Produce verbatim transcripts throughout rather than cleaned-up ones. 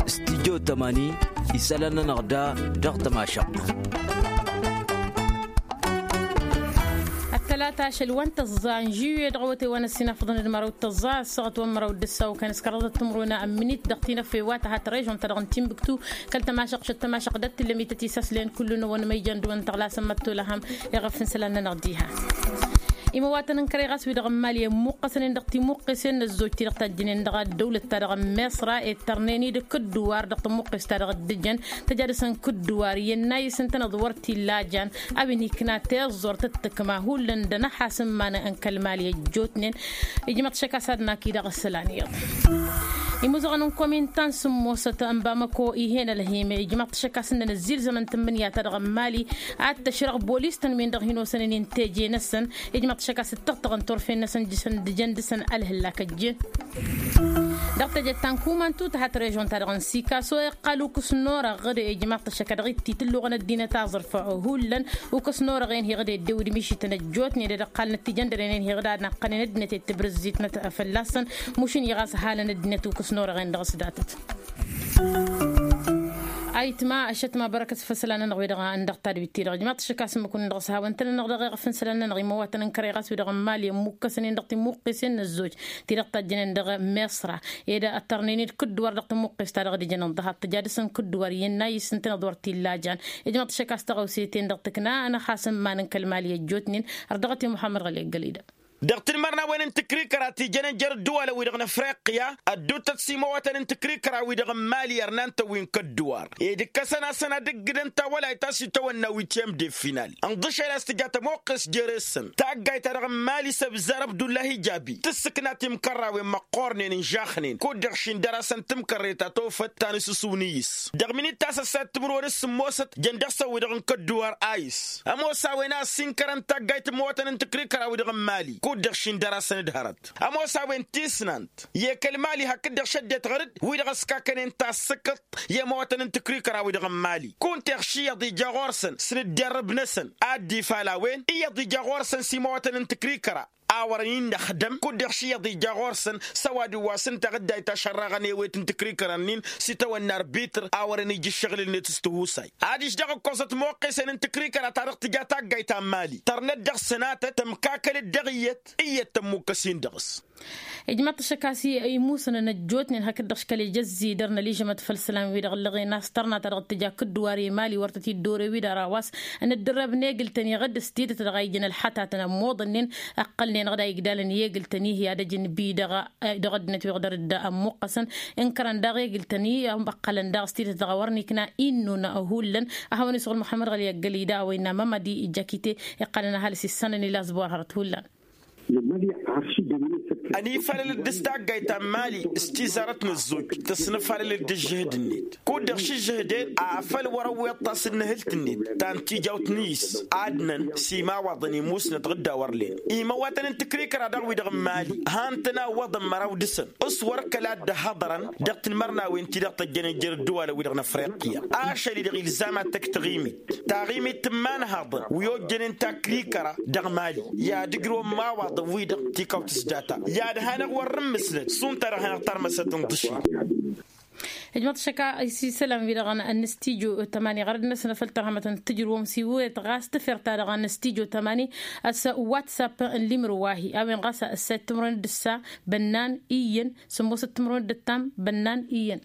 Stijjo tămani isălan-nănăɣ da dăɣ-tămašăɣt. Ăttălata ašăl wa n-tăẓẓa n-žuye dăɣ-awătay wa n-ăssinafăḍăn d-măraw d-tăẓẓa ăssaɣăt wa n-măraw d-ǝssa okănăskăr dăɣ-tămruna n-minit dăɣ-tinăfe wa tăhat režon-ta-dăɣ n-timbuktu kăl-tămašăɣt šăt tămašăɣt d-ad-tǝllăm ităt isaslen kullu-năwăn ma ijăn dăɣ-wăn tăɣlasăn măttolăhăm. Iɣăf n-isălan-nănăɣ diha imăwatăn n-kăre ɣas wi-dăɣ n-mali ămmuqqăsnen dăɣ-timuqqesen n-ăzzoj ti-dăɣ tajjǝnen dăɣ-ăddăwlăt-ta-dăɣ n-miṣra ettărnen-dd kǝddǝwar dăɣ-tămmuqqes-ta-dăɣ dd-ǝjăn tăja dăɣ-săn kǝddǝwar iyyăn n-ayǝs ǝntăneḍ wăr t-illa a jan. A-wen ikna tiẓẓurt d-tǝkma hullan d-anăhas n-iman n-kăl-mali ăjjootnen. Ijmăḍ šăk a-s ad-nak-i dăɣ-isălan iyyăḍ imuzăɣăn n-komintan s-ǝmmosăt n-bamăko ih'-en ălhim ijmăḍ šăk a-s ǝnnăn ăzzilzăm n-tǝmmǝnǝya ta dăɣ-n mali ad-tăšrăɣ bolis-tăn-win-dăɣ hin-osănen i-n teje-năsăn. Ijmăḍ šăk a-s ǝttăɣtăɣăn turfen-năsăn jǝsăn d-jăn dăɣ-săn ălhǝllak ăjjeen dăɣ-teje ta n-kumantu tăhat režon-ta-dăɣ n-sikaso iqqal ukǝs n-orăɣ ɣǝd ijmăḍ-t ăššăk a dăɣ-itti tǝlluɣăn ăddinăt aẓrǝf hullan. Ukǝs n-orăɣ-en hi-ɣǝd eddew d-mišităn ăjjootnen d-ăqqalnăt tijăndăren-en hi-ɣǝd a naqqănen ăddinăt i-tǝbrǝzzitnăt fălla-săn. Mušǝnni ɣas halăn ăddinăt ukǝs n-orăɣ-en dăɣ-s datăt. Ayǝtma ăššătma bărăkăt făll-isălan-nănăɣ wi-dăɣ n-dăɣ-tadwit-ti-dăɣ ijmaḍ-t šăk a-s ǝmmǝk-wǝnnin dăɣ-s hawăn-tăn-nănăɣ dăɣ-eɣăf n-isălan-nănăɣ imăwatăn n-kăre ɣas wi-dăɣ n-mali ămmukkăsnen dăɣ-timuqqesen n-ăzzoj ti-dăɣ tajjănen dăɣ-miṣra ed ăttărnen-dd kǝddǝwar dăɣ-tămmuqqes-ta-dăɣ d-ijănăn dăɣ-hat tǝja dăɣ-săn kǝddǝwar iyyăn n-ayǝs ǝntăneḍ wăr t-illa a jan. Ijmăḍ-t šăk a-s tăɣăwse-ten-dăɣ tǝkna ănăxas n-iman n-kăl-mali ăjjootnen. Ărdăɣăt i-muḥămmăd ɣăli ăggălida dăɣ-tinmărnawen n-tǝkrikăra ti jănen jer-ǝddǝwalăn-wi-dăɣ n-afriqya. Ădduuttăt s-imăwatăn n-tǝkrikăra-wi-dăɣ n-mali ărnan-tăn wi n-kădduwar ed ǝkkăsăn-asăn ad-ǝggǝdăn tawălayt a-s itawănna witiyăm de final ǝnḍǝšel a-s tǝja tămoqqes jere-săn taggayt-ta-dăɣ n-mali s-ăbzar abdullahi jabi tǝssǝkna timkărrawen măqqoornen ǝnžaxnen kud-dăɣ šindăr-asăn timkărre ta tofăt ta n-asǝsǝw n-iyyǝs. Dăɣ-minit ta s-ăssayăt timǝrwen s-sǝmmosăt jăn dăɣ-săn wi-dăɣ n-kădduwar a-s ămoos a-wen a ăssinkărăn taggayt n-imăwatăn n-tǝkrikăra-wi-dăɣ n-mali kud-dăɣ šindăr-asăn d-hărăt ămoos a-wen tisnant i-kăl-mali hakd-dăɣ šăddet ɣăr-dd wi-dăɣ ăskakănen tassǝkǝḍt i-imăwatăn n-tǝkrikăra-wi-dăɣ n-mali. Kunta iɣš iyyăḍ ija ɣur-săn s-inǝdderrǝb-năsăn ad-dd-ifal a-wen iyyăḍ ija ɣur-săn s-imăwatăn n-tǝkrikăra a wărăn innăxdăm kud-dăɣ iyyăḍ ija ɣur-săn s-ăwadǝm wa s-ǝnta ɣǝddayt ašărraɣăn i-ewet n-tǝkrikăra-nin s-itawănna arbitr a wărăn ija ǝššăɣǝl-net s-tihusay. Adiš daɣ ǝkkoẓăt moqqesen n-tǝkrikăra ta dăɣ-tǝja taggayt ta n-mali tărnăt dăɣ-sănatăt tămkakăl-dd dăɣ-iyyăt iyyăt tămmukkăs-in dăɣ-s. Ijmaḍ-t ăššăk a-s imusnăn ăjjootnen hakd-dăɣ škăl ija ăzzidăr n-ăližămăt făll-isălan-wi-dăɣ ǝllăɣen a-s tărna ta dăɣ-tǝja kǝddǝwar i-mali wăr tăt-dd-ore wi dăɣ-ra wa s-nǝddǝrrăb n-egǝl-tăn iɣǝdd s-tidǝt dăɣ-a ijăn ălxătatăn ămmoḍănnen. Ăqqălnen ɣǝd a igdalăn i-egǝl-tăn-i hi-ad-ăjǝn bi dăɣ-ăddinăt wi ɣǝdăr-dd ămmuqqăsăn ǝnkărăn daɣ egǝl-tăn-i. Ăqqălăn daɣ s-tidǝt dăɣ-a wăr nikna innun hullan. A hawăn-isuɣǝl muḥămmăd ɣăli ăggălida a-wa innă mămădi jăkite iqqălăn ăhalǝs issanăn ila ăẓbuwar hărăt hullan. Ănifalăl-dd s-taggayt ta n-mali s-tizarăt n-ăzzoj tăsnăfalăl-dd ǝžžǝhǝd-net kud-dăɣ šǝžžǝhǝd-en afăl wăr-ăwweḍ tasǝnnǝhǝlt-net ta n-tijawt n-iyyǝs. Adnăn s-imawaḍăn imusnăt ɣǝdda wăr len imăwatăn n-tǝkrikăra daɣ wi-dăɣ n-mali han-tăn-awwăḍăn măraw dăɣ-săn s-wăr kăla dd-ăhhăḍărăn dăɣ-tinmărnawen-ti-dăɣ tăjjănen jer-ǝddǝwalăn-wi-dăɣ n-afriqya. Ašăl-i-dăɣ ilzam ad-tăkk taɣimit taɣimit tǝmmanăhaḍăn wi ojjănen takrikăra dăɣ-mali i-ad-ǝjrǝwăn imawaḍăn wi-dăɣ tikawt s-data i-ad-hanăɣ wăr-nǝmmǝsnăt šund ta dăɣ-hanăɣ tarmăsăt n-iḍǝššin. Ijmăḍ šăkka isǝlăm-wi-dăɣ n-stijo tămani ɣărăd-năsnăfăl tărhămăt n-tǝjrǝwăm s-iwǝyăt ɣas tǝfer-ta-dăɣ n-stijo tămani. S-whatsapp n-limǝrǝw wa hi-a-wen ɣas ăssayăt timǝrwen d-ǝssa bănnan iyyăn sǝmmosăt timǝrwen d-ǝttam bănnan iyyăn.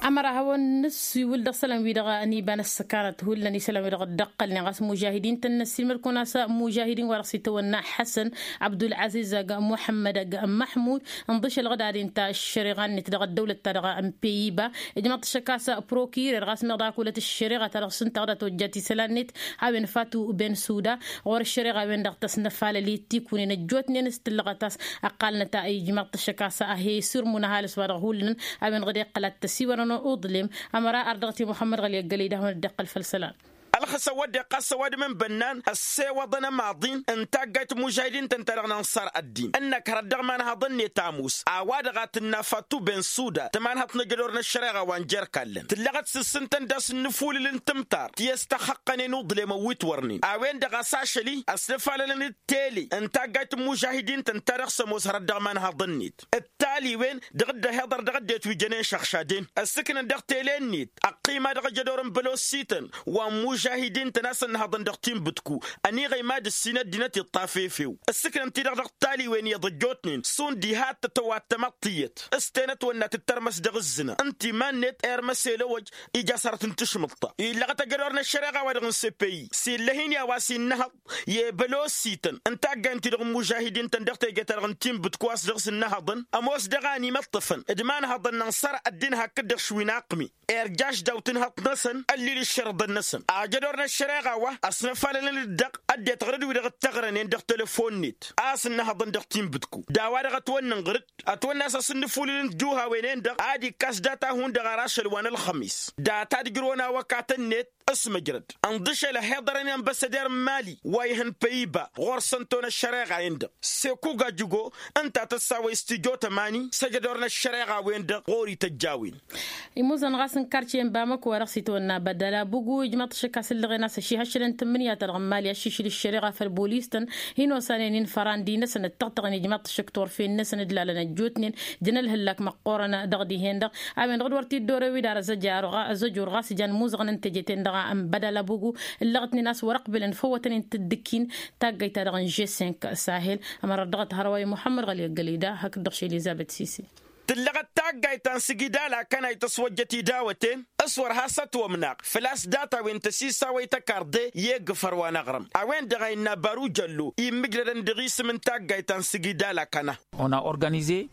Ămăra hawăn-nǝssiwǝl dăɣ-isălan-wi-dăɣ n-iba n-ăssăkanăt hullan isălan-wi-dăɣ dd-ăqqălnen ɣas mužahidin tăn-năssiilmăd-kăwăn-as mužahidin wa dăɣ-s itawănna ḥăsăn abdul-aziz ăgg muḥămmăd ăgg măḥmud. Ǝnḍǝšăl ɣǝdad-in ta ăššăreɣa-net dăɣ-ăddăwlăt-ta-dăɣ n-peyiba ijmăḍ-t šăkk a-s prokirer ɣas meɣ daɣ-ak wălăt ăššăreɣa ta dăɣ-s ǝnta ɣǝdad tojjat isălan-net. A-wen fatu ben suda ɣur-ăššăreɣa-wen-dăɣ tăsnăfalăl i-tikunen ăjjootnen s-tǝllăɣăt a-s ăqqalnăt ijmăḍ-t šăkk a-s ahesǝrmun ăhalǝs wa dăɣ-hullan. A-wen ɣǝd iqqăl ad-tăsiwărăn uḍlem ămăra ardăɣăt i-muḥămmăd ɣăli ăggălăy d-ad-hawăn-dd-iqqăl făll-isălan. ăqqălăɣ-s ăwăddeɣ ɣas ăwadǝm n-bănnan ăssewăḍăn ămaḍin n-taggayt n-imužahidin-tăn-ta-dăɣ n-ănṣar ăddin ǝnnăk hărăt dăɣ-imanhaḍăn-net ămoos a-wa-dăɣ a tǝnna fattu ben suda tămanhăḍt n-ajădor n-ăššăreɣa wa n-jer-kallăn tǝllăɣăt s-ǝssǝntăn d-asǝnnǝfulǝl n-tǝmtar ti s-tăxxăqqănen uḍlemăn wi t-wărnen a-wen-dăɣ a-s ašăl-i ăsnăfalălăn d-tele n-taggayt n-imužahidin-tăn-ta-dăɣ s-ămoos hărăt dăɣ-imanhaḍăn-net d-taliwen dăɣ-dd-ăhiḍăr dăɣ-ăddinăt wi jănen šăɣšaden ăssǝknăn dăɣ-tele-net ăqqima dăɣ-ajădor n-bălosităn wa n-imužahidin-tăn a-s ănnăhăḍăn dăɣ-tinbǝtku ăniɣăy mad-ǝssin ăddinăt iṭṭaf efew ǝssǝknăn-t-i-dăɣ dăɣ-taliwen iyyăḍ ăjjootnen šund iha t-tătwat tamăḍt tiyyăt s-tenăt wănna tǝttărmăs dăɣ-ǝzzǝna ǝnta iman-net ermăs elăwăj ija s-hărăt n-tašmǝḍt-ta illăɣăt ajădor n-ăššăreɣa-wa-dăɣ n-sepeyi s-illăh-in i-a-wa s-innăhăḍ i-bălosităn n-taggay n-ti-dăɣ n-imužahidin-tăn dăɣ-teje-ta-dăɣ n-tinbǝtku a-s dăɣ-s ǝnnăhăḍăn ămoos dăɣ-a ănimăṭṭăfăn d-imanhăḍăn n-ănṣăr ăddin hakd-dăɣ šwin aqqǝmi irjaš daw-tǝnhăḍt-năsăn ăllil ǝššărǝḍăn-năsăn ajădor n-ăššăreɣa wa ăsnăfalălăn-dd dăɣ-ăddinăt ɣur-dd wi-dăɣ ǝttăɣrănen dăɣ-telăfon-net a-s ǝnnăhăḍăn dăɣ-tinbǝtku d-a-wa-dăɣ ătwănnănɣăr-dd ătwănna a-s asǝnnǝfulǝl n-tijuhawen-en-dăɣ ad-ikkas data hundăɣ ar ašăl wa n-ălxămis data d-ǝjrǝwăn awăkatăn-net s-măjrăd ǝnḍǝšel ăhiḍărăn i-ănbăssăder n-mali wa ihăn păyiba ɣur-săn ton ăššăreɣa-en-dăɣ sekuga jǝgo ǝnta a tăssawăy s-tijo tămani s-ejădor n-ăššăreɣa-wen-dăɣ ɣur-ităjj a-wen. Imuzăn ɣas n-kartiye n-bamăko wa dăɣ-s itwănna bădăl abugu ijmăḍ t-šăkk a-s ǝllăɣen a-s ăšihăššălăn tǝmmǝnǝya-ta-dăɣ n-mali a šišǝl ǝššăreɣa făll-bolis-tăn hin-osanen-in fărandi-năsăn ǝttăɣtăɣăn ijmăḍ t-šăkk turfen-năsăn d-lalăn ăjjootnen jăn ălhǝllak măqqoorăn dăɣ-dihen-dăɣ a-wen-dăɣ d-wăr t-dd-orew-dd ar ăzăjur ɣas ǝjăn imuzăɣăn n-teje-ten-dăɣ n-bădăl abugu ǝllăɣ-tnen a-s wăr-ăqbǝlăn făw wătăn-in tǝddǝkkin taggăyt-ta-dăɣ n-žesenk sahel ămărăt dăɣ-ăthărăwăy muḥămmăd ɣăli ăggălăy da hakd-dăɣ šel izabăt sisi. Tǝllăɣăt taggayt ta n-sǝgida lakanay tăswăjjăt idawăten s-wăr has-ătwămnaɣ făl-a-s datawin tăsisawăy tăkarḍe i-egǝfăr wa n-aɣrǝm a-wen-dăɣ a innă baru jăllo immǝjrădăn dăɣ-isǝm n-taggayt ta n-sǝgida lakana.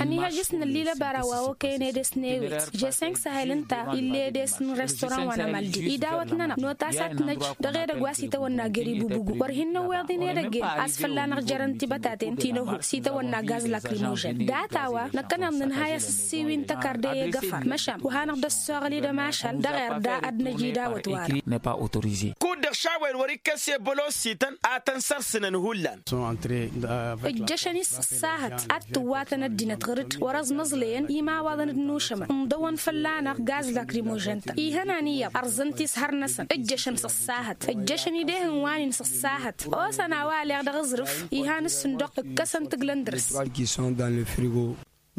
Ăniihăjjăs n-ăllilăbara wa okăyăn edes n-ewet žesănk sahel ǝnta ill'-e edes n-restoran wa n-amăldi idawăt-nănăɣ notas ad-t-năj dăɣ-edăgg wa s-itawănna gări bubugu wăr hin-năwweḍ-in edăgg-en a-s fălla-năɣ jărăn tibătaten ti n-ăhu s-itawănna gaz lakrimožen data-wa năkkăneḍ nǝnhay asǝssiwin tăkarde i-egăfăr măšan wa hanăɣ-dd-ăssoɣăl-dd ămašal dăɣ-erda ad-năj idawăt-wa-dăɣ. Kud-dăɣ šawăyăn wăr-ikkes i-bălosităn ad-tăn-sărsǝnăn hullan. Ǝjjăšăn-i s-ăṣṣahăt ad-tǝwwatăn ăddinăt ɣǝr-dd wăr-ăẓmăẓlăyăn imawaḍăn d-inušămăn ǝnḍăwăn fălla-năɣ gaz lakrimožen-tăn ihănan iyyăḍ ărẓăn-t-i s-hăr-năsăn ǝjjăšăn s-ăṣṣahăt ǝjjăšăn-dd ehăn wa n-in s-ăṣṣahăt. Osăn a-wa aleɣ dăɣ-aẓrǝf ihan ǝssǝnduɣ ǝkkăsăn tǝglăn dăr-s.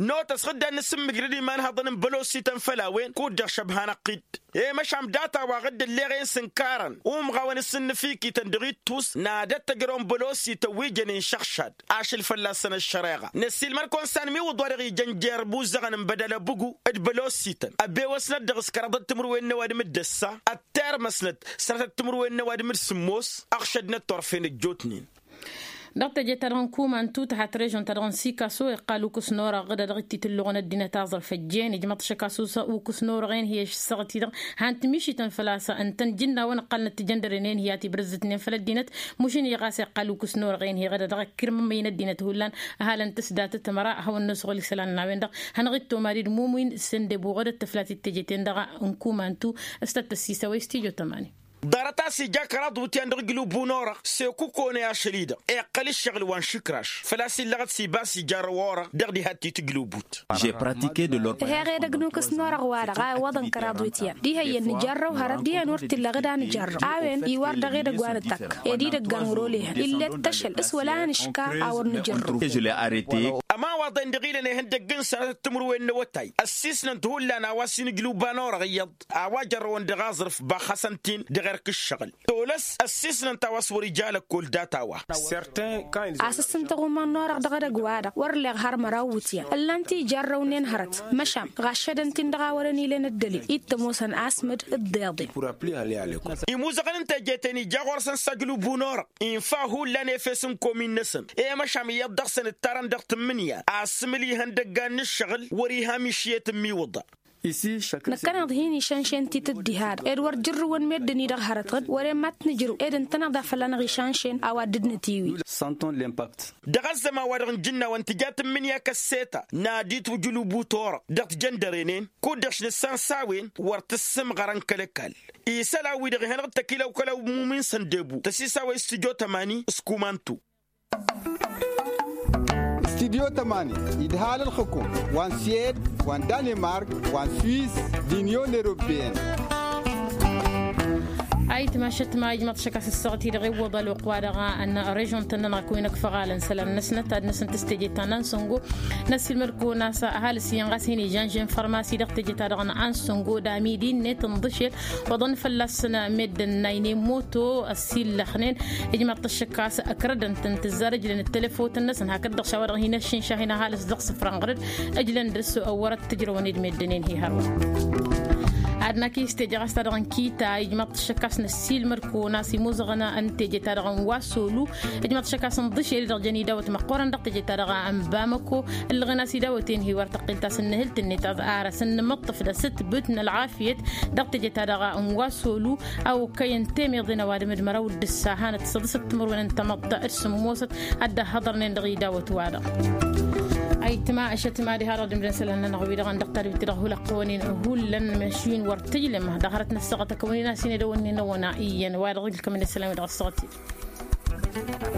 Notăs ɣǝddan n-asǝmmǝjrăd imanhăḍăn n-bălosităn făll-a-wen kud-dăɣ šăbhanăɣ-t-dd i-măšan data-wa ɣǝdd ălleɣen s-ǝnkarăn umɣawăn s-ǝnnǝfikităn dăɣ-ittus n-ad-ăttăjrăwăn bălosităn wi jănen šăɣšad ašăl fălla-săn ăššăreɣa năssiilmăr-kăwăn s-anmiwǝḍ wa dăɣ-ijăn jer-imuzăɣăn n-bădăl ăbǝgu d-bălosităn ăbewăsnăt dăɣ-s kăraḍăt timǝrwen n-ăwadǝm d-ăssa ăttermăsnăt sănătăt timǝrwen n-ăwadǝm d-sǝmmos ăɣšădnăt turfen ăjjootnen. Dăɣ-teje-ta-dăɣ n-kumantu tăhat režon-ta-dăɣ n-sikaso iqqal ukǝs n-orăɣ ɣǝdădăɣ ititǝlluɣăn ăddinăt aẓrǝf ăjjeen ijmăḍ šăkasus ukǝs n-orăɣ-en hi-ăššăɣăt-i-dăɣ han tǝmišităn făl-a-s ǝntăn jǝnnawăn ǝqqalnăt tijăndăren-en hi-ad-tibrǝzzǝtnen făll-ăddinăt. Mušǝn-i ɣas iqqal ukǝs n-orăɣ-en hi-ɣǝdădăɣ ǝkkirmămmăyăn ăddinăt hullan ăhalăn tǝsdatăt ămăra ad-hawăn-nosăɣ ol isălan n-a-wen-dăɣ hanăɣ-dd-tomadid mumǝyǝn s-ăndebu ɣǝdăt tǝflat d-teje-ten-dăɣ n-kumantu s-tăt-tăssisăwăy s-tijo tămani. Ḍarăt a-s ija kăraḍ iwǝtyan dăɣ-ijlǝbu n-orăɣ s-ekukone ašăl-i-dăɣ iqqăl ǝššăɣǝl wa n-išǝkraš făl-a-s illăɣăt s-ibas ijarrăw orăɣ dăɣ-diha t-tijlǝbut. Ih'-e edăgg n-ukǝs n-orăɣ-wa-dăɣ a iwwăḍăn kăraḍ iwǝtyan diha iyyăn nǝjarrăw hărăt dihen wăr t-illa ɣǝd a nǝjarrăw a-wen iwar dăɣ-edăgg wa nǝttakk ed idăggan wăr-olehăn ill'-e d-tăšăl s-wăla a nǝška a wăr nǝjărrǝw. Ămawaḍen-dăɣ ilăn ihăndăgg n-sănatăt timǝrwen n-awătay ăssisnăn-t hullan a-wa s-inǝjlǝw ba n-orăɣ iyyăḍ a-wa jărrăwăn dăɣ-aẓrǝf baxăsăn-t-in dăɣ-erk ǝššăɣǝl tolăs ăssisnăn-t a-wa s-wăr-ija lăkkol data-wa. A-s ǝssǝntăɣ umăɣ n-orăɣ dăɣ-edăgg-wa-dăɣ wăr-leɣ har măraw iwǝtyan ǝllan-t ijarrăwnen hărăt măšan ɣaššădăn-t-in dăɣ-a wărăn ilăn ăddălil ittăm osăn asmǝd. D-iḍen imuzăɣăn n-teje-ten ija ɣur-săn s-ajlǝbu n-orăɣ infa hullan efes n-komin-năsăn i-măšan iyyăḍ dăɣ-săn ǝttarăn dăɣ-tǝmmǝnǝya asǝmǝl ihăndăggan n-ǝššăɣǝl wăr-iha mišiyet n-imiwǝḍa. Năkkăneḍ hin-išănšen titǝddiha-dăɣ ed wăr jǝrrǝwăn meddǝn-i-dăɣ hărătăn wăren mad-t-nǝjrǝw ed ǝntăneḍ a fălla-năɣ išănšen a-wa dd-nǝtiwǝy. Sănton l'impact. Dăɣ-ăzzăman-wa-dăɣ n-ijǝnnawăn tǝja tǝmmǝnǝya kăsseta n-ad-itwǝjǝl ubutorăɣ dăɣ-tijăndăren-en kud-dăɣ šnǝssan s-a-wen wăr tǝssǝmɣărăn kăl-ăkall. Isălan-wi-dăɣ ihănăɣ-dd tăkilăw-kălăw mumin săndebu tăsisawăy studyo tămani s-kumantu. Studyo tămani idhal ǝlxǝkum wa n-siyed wa n-danemark wa n-swis d-inyon europeyăn. Ayǝtma ašăt ma ijmăḍ šăkkas ǝssaɣăt-i-dăɣ iwwăḍ ălwăqq-wa-dăɣ n-režon-tăn-nănăɣ kăwăn-ăkfăɣalăn isălan-năsnăt ad-năsnăt s-teje ta n-ansăngo. Năssiilmăd-kăwăn a-s ăhalǝs iyyăn ɣas hin-ižănžen fărmasi dăɣ-teje-ta-dăɣ n-ansăngo d-amidi-net n-iḍǝšel. Oḍăn fălla-săn meddǝn n-a inen moto ăssiillăxnen. Ijmăḍ-t ăššăk a-s ǝkrădăn-tăn tǝzzar ǝjlăn d-telefotăn-năsăn hakd-dăɣ šawa-dăɣ hin-ăššinša hin-ăhalǝs dăɣ-isǝfra n-iɣrǝd. Ǝjlăn dăr-s wăr-ăttǝjrăwăn ed-meddǝn-en hi-hărwa. Ad-năkk i-s teje ɣas ta dăɣ-n kita ijmăḍ-t ăššăk a-s năssiilmăd-kăwăn a-s imuzăɣăn n-teje-ta-dăɣ n-wasolu. Ijmăḍ-t ăššăk a-s n-iḍǝšel-i-dăɣ jăn idawăt măqqoorăn dăɣ-teje-ta-dăɣ n-bamăko. Ǝllăɣen a-s idawăten hi-wăr tăqqel ta s-ǝnnǝhǝl-t-net ad-ara s-ǝnnǝmǝṭṭǝf d-asǝtbǝt n-ălɣafyăt dăɣ-teje-ta-dăɣ n-wasolu. A okăyăn temeḍen ăwadǝm d-măraw d-ǝssa hanăt săḍǝsăt timǝrwen n-tamăḍt d-sǝmmosăt ad-dd-ăhhăḍărnen dăɣ-idawăt-wa-dăɣ. Ayǝtma ašăt ma diha-dăɣ d-imdăn isălan-nănăɣ-wi-dăɣ n-dăɣ tadwit-dăɣ hulăqqăwăn-in hullan măšin wăr tǝjlăm dăɣ-hărăt n-ăssaɣăt ăkăwăn-in a-s hin-edăwănnin ăwăna iyyăn wa dăɣ-ilkăm-in isălan-wi-dăɣ ăssaɣăt-i-dăɣ.